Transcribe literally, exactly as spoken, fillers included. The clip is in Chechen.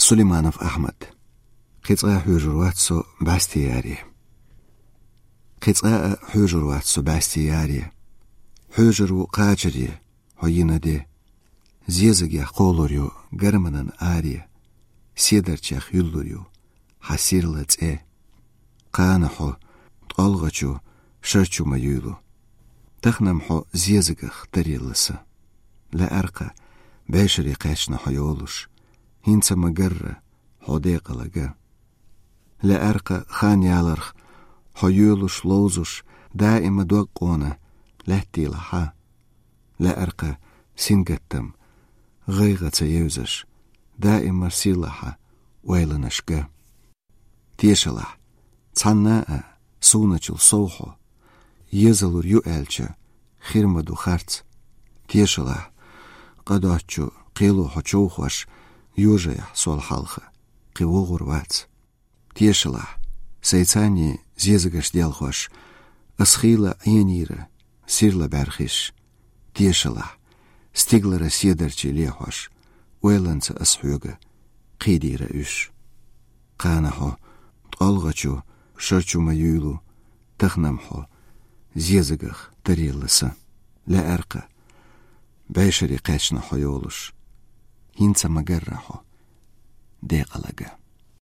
Сулейманов Ахьмад. Кхин цкъа а хьоьжур вац со бӀаьсти яре. Кхин цкъа а хьоьжур вац со бӀаьсти яре. Хьоьжур ву кхачаре хьо йина де. Зезагех кхолур ю гарманан аре. Седарчех юьллур ю хьа сирла цӀе. Кхана хьо ткъолгӀачу шарчу ма юьйлу. Тахана-м хьо зезагах тарелла са. Лаьар-кха, бӀешаре кхаьчна хьо йолуш. ХӀинца ма гарра хьо декъала га. Лаьар-кха, хан яларх хьо йоьлуш, ловзуш, даима дог къона лаьттийла хьа. Лаьар-кха, сингаттам гӀайгӀа ца евзаш, даима сийлахьа ойланаш га. Тешалахь, цхьанна а суначул сов хьо, езалур ю аьлча, хир ма ду харц. Тешалахь, къадоцчу кхело хьо човхош, йожаяхь сол хьалха, кхин вогӀур вац. Тешалахь, сайцани зезагаш делхош, ас хийла Ӏенийра сирла бӀаьрхиш. Тешалахь, стиглара седарчий лехьош, ойланца ас хьоьга кхийдийра уьш. Кхана хьо ткъолгӀачу шарчу ма юьйлу, тахана-м хьо зезагах тарелла са. Лаьар-кха, бӀешаре кхаьчна хьо йолуш. ХӀинца ма гарра хьо декъала га.